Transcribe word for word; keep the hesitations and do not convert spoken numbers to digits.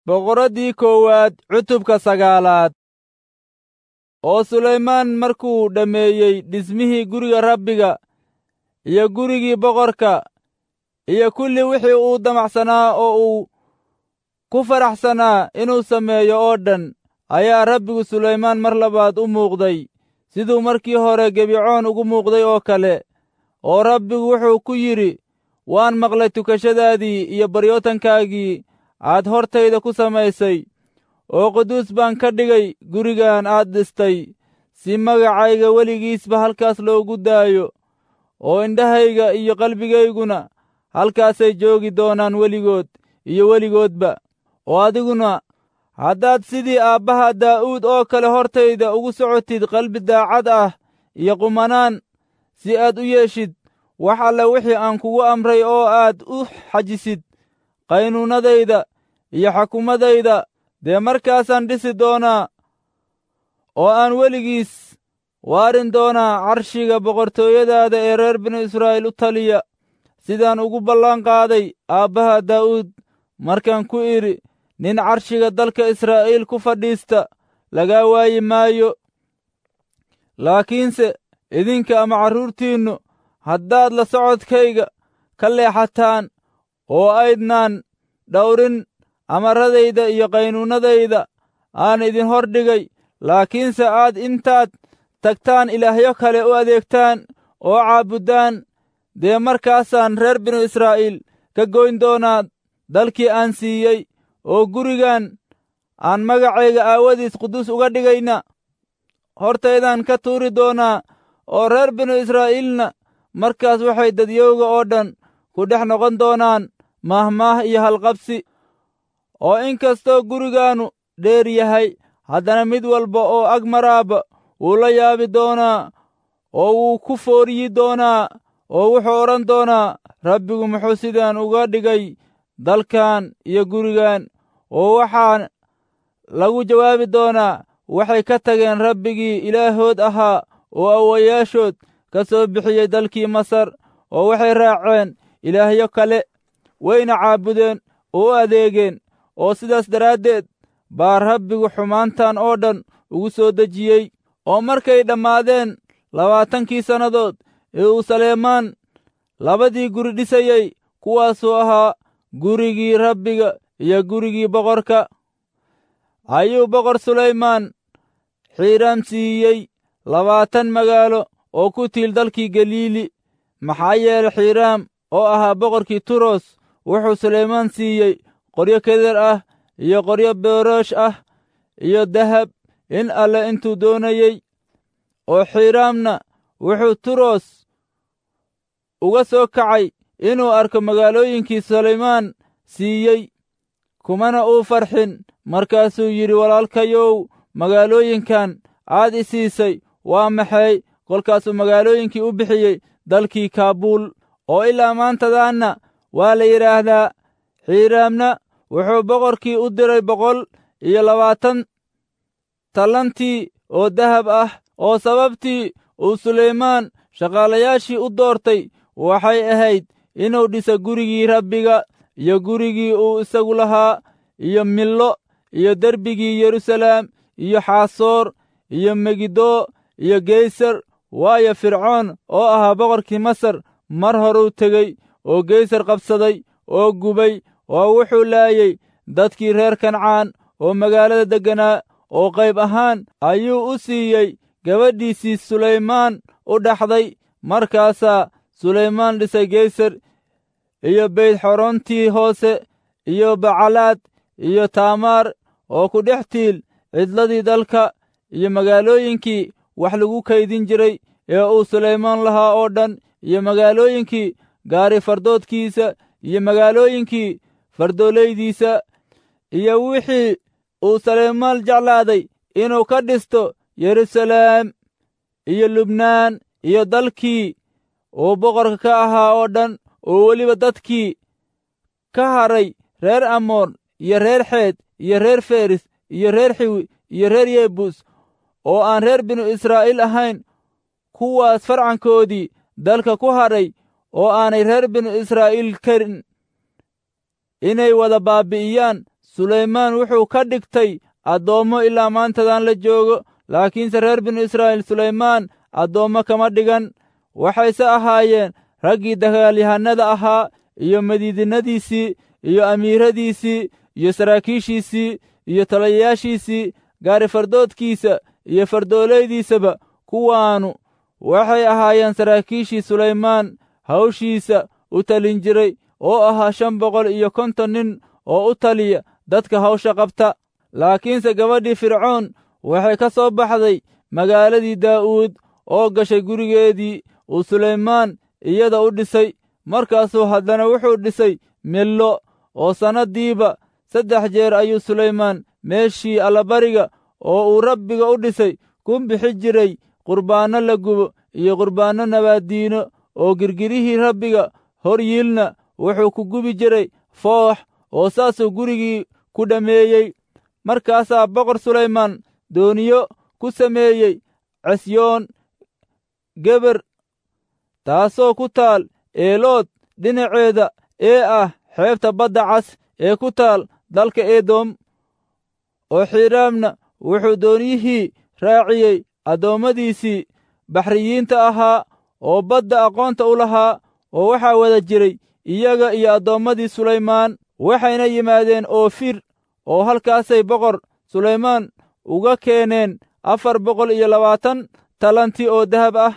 Boqoraddii koowaad cutubka sagaalaad. Oo Sulaymaan markuu dhammeeyey dhismihii guriga Rabbiga iyo gurigii boqorka iyo kulli wixii uu damacsanaa oo uu ku faraxsanaa inuu sameeyo oo dhan, ayaa Rabbigu Sulaymaan mar labaad u muuqday siduu markii hore Gibecoon ugu muuqday oo kale. Oo Rabbigu wuxuu ku yidhi, waan maqlay tukashadaadii iyo baryootankaagii aad hortayda ku samaysay, oo quduus baan ka dhigay gurigan aad dhistay, si magacayga weligiisba halkaas loogu daayo, oo indhahayga iyo qalbigayguna halkaasay joogi doonaan weligood iyo weligoodba. Oo adiguna haddaad sidii aabbaha Daa'uud oo kale hortayda ugu socotid qalbi daacad ah iyo qumanaan, si aad u yeeshid wax alle wixii aan kugu amray oo aad u xajisid qaynuunnadayda iyo xukumadayda, dee markaasaan dhisi doonaa oo aan weligiis waarin doonaa carshiga boqortooyadaada ee reer binu Israa'iil u taliya, sidaan ugu ballan qaaday aabbaha Daa'uud markaan ku idhi, nin carshiga dalka Israa'iil ku fadhiista lagaa waayi maayo. Laakiinse idinka ama carruurtiinnu haddaad la socodkayga ka leexataan oo aydnaan dhawrin amarradayda iyo qaynuunnadayda aan idin hor dhigay, laakiinse aad intaad tagtaan ilaahyo kale u adeegtaan oo caabuddaan, dee markaasaan reer binu Israa'iil ka goyn doonaa dalkii aan siiyey, oo gurigan aan magacayga aawadiis quduus uga dhigayna hortaydaan ka tuuri doonaa, oo reer binu Israa'iilna markaas waxay dadyowga oo dhan ku dhex noqon doonaan maahmaah iyo halqabsi. Oo inkastoo gurigaannu dheer yahay, haddana mid walba oo ag maraaba wuu la yaabi doonaa oo wuu ku fooriyi doonaa, oo wuxuu odhan doonaa, Rabbigu muxuu sidaan uga dhigay dalkan iyo gurigan? Oo waxaa lagu jawaabi doonaa, waxay ka tageen Rabbigii Ilaahood ahaa oo awowayaashood ka soo bixiyey dalkii Masar, oo waxay raaceen ilaahyo kale, wayna caabudeen oo u adeegeen, oo sidaas daraaddeed baa Rabbigu xumaantan oo dhan ugu soo dejiyey. Oo markay dhammaadeen labaatankii sannadood ee uu Saleymaan labadii guri dhisayey, kuwaasoo ahaa gurigii Rabbiga iyo gurigii boqorka, ayuu boqor Sulaymaan Xiiraam siiyey labaatan magaalo oo ku tiil dalkii Galiili. Maxaa yeelay Xiiraam oo ahaa boqorkii Turos wuxuu Sulaymaan siiyey qoryo keder ah iyo qoryo beeroosh ah iyo dahab in alle intuu doonayey. Oo Xiiraamna wuxuu Turos uga soo kacay inuu arko magaalooyinkii Sulaymaan siiyey, kumana uu farxin. Markaasuu yidhi, walaalkayow, magaalooyinkan aad i siisay waa maxay? Kolkaasuu magaalooyinkii u bixiyey dalkii Kaabuul, oo ilaa maantadaanna waa la yidhaahdaa. Xiiraamna wuxuu boqorkii u diray boqol iyo labaatan tallantii oo dahab ah, oo sababtii uu Sulaymaan shaqaalayaashii u doortay waxay ahayd inuu dhiso gurigii Rabbiga iyo gurigii uu isagu lahaa, iyo Millo iyo derbigii Yeruusalaam iyo Xaasoor iyo Megiddo iyo Geysar. Waayo, Fircoon oo ahaa boqorkii Masar mar horuu tegey oo Geysar qabsaday oo gubay, oo wuxuu laayey dadkii reer Kancaan oo magaalada degganaa, oo qayb ahaan ayuu u siiyey gabadhiisii Sulaymaan u dhaxday. Markaasaa Sulaymaan dhisay Geysar iyo Beytxorontii hoose iyo Bacalaad iyo Taamaar oo ku dhex tiil cidladii dalka, iyo magaalooyinkii wax lagu kaydin jiray ee uu Sulaymaan lahaa oo dhan, iyo magaalooyinkii gaari fardoodkiisa iyo magaalooyinkii fardoolaydiisa, iyo wixii uu Sulaymaan jeclaaday inuu ka dhisto Yeruusalaam iyo Lubnaan iyo dalkii uu boqorka ka ahaa oo dhan, oo weliba dadkii ka haray reer Amoon iyo reer Xeed iyo reer Feris iyo reer Xiwi iyo reer Yebuus oo aan reer binu Israa'iil ahayn, kuwaas farcankoodii dalka ku hadhay oo aanay reer binu Israa'iil karin inay wada baabi'iyaan. Sulaymaan wuxuu ka dhigtay addoommo ilaa maantadan la joogo. Laakiinse reer binu Israa'iil Sulaymaan addoommo kama dhigan. Waxayse ahaayeen raggii dagaalyahannada ahaa iyo madiidinadiisii iyo amiiradiisii iyo saraakiishiisii iyo taliyayaashiisii, gaari fardoodkiisa iyo fardoolaydiisaba. Kuwaanu waxay ahaayeen saraakiishii Sulaymaan hawshiisa u talin jiray, oo ahaa shan boqol iyo konton nin oo u taliya dadka hawsha qabta. Laakiinse gabadhii Fircoon waxay ka soo baxday magaaladii Daa'uud oo gashay gurigeedii uu Sulaymaan iyada u dhisay. Markaasuu haddana wuxuu dhisay Millo, oo sannaddiiba saddex jeer ayuu Sulaymaan meeshii allabariga oo uu Rabbiga u dhisay ku bixi jiray qurbaanno la gubo iyo qurbaanno nabaaddiino, oo girgirihii Rabbiga hor yiilna wuxuu ku gubi jiray foox, oo saasuu gurigii ku dhammeeyey. Markaasaa Boqor Sulaymaan dooniyo ku sameeyey Cesyoon Geber, taasoo ku taal Eelood dhinaceeda ee ah xeebta Badda Cas ee ku taal dalka Edom. Oo Xiiraamna wuxuu dooniyihii raaciyey addoommadiisii baxriyiinta ahaa oo badda aqoonta u lahaa, oo waxaa wada jiray iyaga iyo addoommadii Sulaymaan. Waxayna yimaadeen Oofir, oo halkaasay Boqor Sulaymaan uga keeneen afar boqol iyo labaatan talanti oo dahab ah.